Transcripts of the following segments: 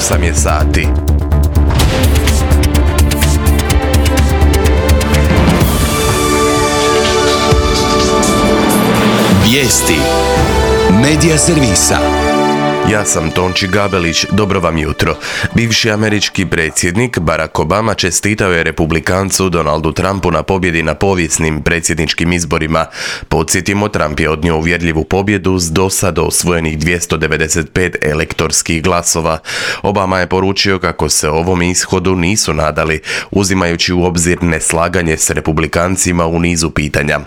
8 je sati. Vijesti Medija servisa. Ja sam Tonči Gabelić, dobro vam jutro. Bivši američki predsjednik Barack Obama čestitao je republikancu Donaldu Trumpu na pobjedi na povijesnim predsjedničkim izborima. Podsjetimo, Trump je odnio uvjerljivu pobjedu s dosad osvojenih 295 elektorskih glasova. Obama je poručio kako se ovom ishodu nisu nadali, uzimajući u obzir neslaganje s republikancima u nizu pitanja.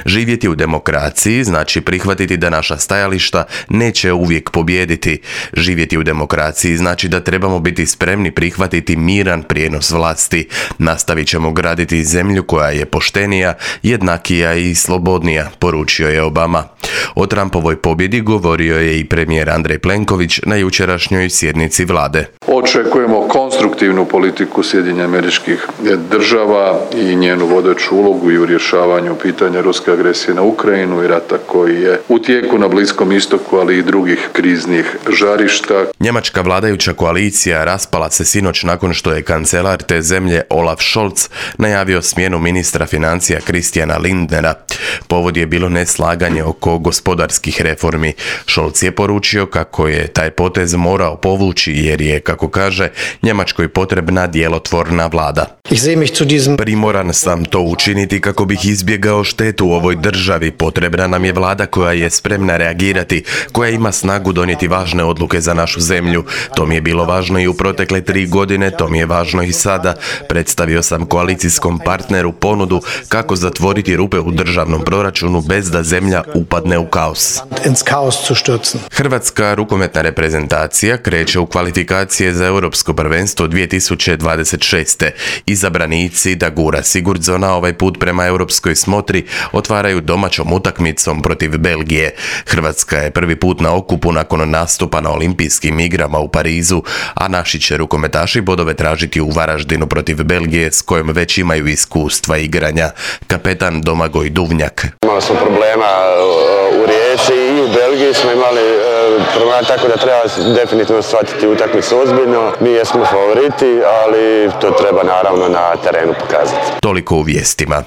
Živjeti u demokraciji znači prihvatiti da naša stajališta neće uvijek pobijediti. Živjeti u demokraciji znači da trebamo biti spremni prihvatiti miran prijenos vlasti. Nastavit ćemo graditi zemlju koja je poštenija, jednakija i slobodnija, poručio je Obama. O Trumpovoj pobjedi govorio je i premijer Andrej Plenković na jučerašnjoj sjednici vlade. Očekujemo konstruktivnu politiku Sjedinjenih Američkih Država i njenu vodeću ulogu i u rješavanju pitanja ruske agresije na Ukrajinu i rata koji je u tijeku na Bliskom istoku, ali i drugih kriznih žarišta. Njemačka vladajuća koalicija raspala se sinoć nakon što je kancelar te zemlje Olaf Scholz najavio smjenu ministra financija Christiana Lindnera. Povod je bilo neslaganje oko gospodarskih reformi. Scholz je poručio kako je taj potez morao povući jer je, kako kaže, Njemačkoj potrebna djelotvorna vlada. Primoran sam to učiniti kako bih izbjegao štetu u ovoj državi. Potrebna nam je vlada koja je spremna reagirati, koja ima snagu donijeti važne odluke za našu zemlju. To mi je bilo važno i u protekle 3 godine, to mi je važno i sada. Predstavio sam koalicijskom partneru ponudu kako zatvoriti rupe u državnom proračunu bez da zemlja upadne u kaos. Hrvatska rukometna reprezentacija kreće u kvalifikacije za Europsko prvenstvo 2026. Izabranici Dagura Sigurdsona ovaj put prema europskoj smotri otvaraju domaćom utakmicom protiv Belgije. Hrvatska je prvi put na okupu nakon nastupa na olimpijskim igrama u Parizu, a naši će rukometaši bodove tražiti u Varaždinu protiv Belgije s kojom već imaju iskustva igranja. Kapetan Domagoj Duvnjak. Imali smo problema u Rijeci i u Belgiji smo imali problema, tako da treba definitivno shvatiti utakmicu ozbiljno. Mi jesmo favoriti, ali to treba naravno na terenu pokazati. Toliko u vijestima.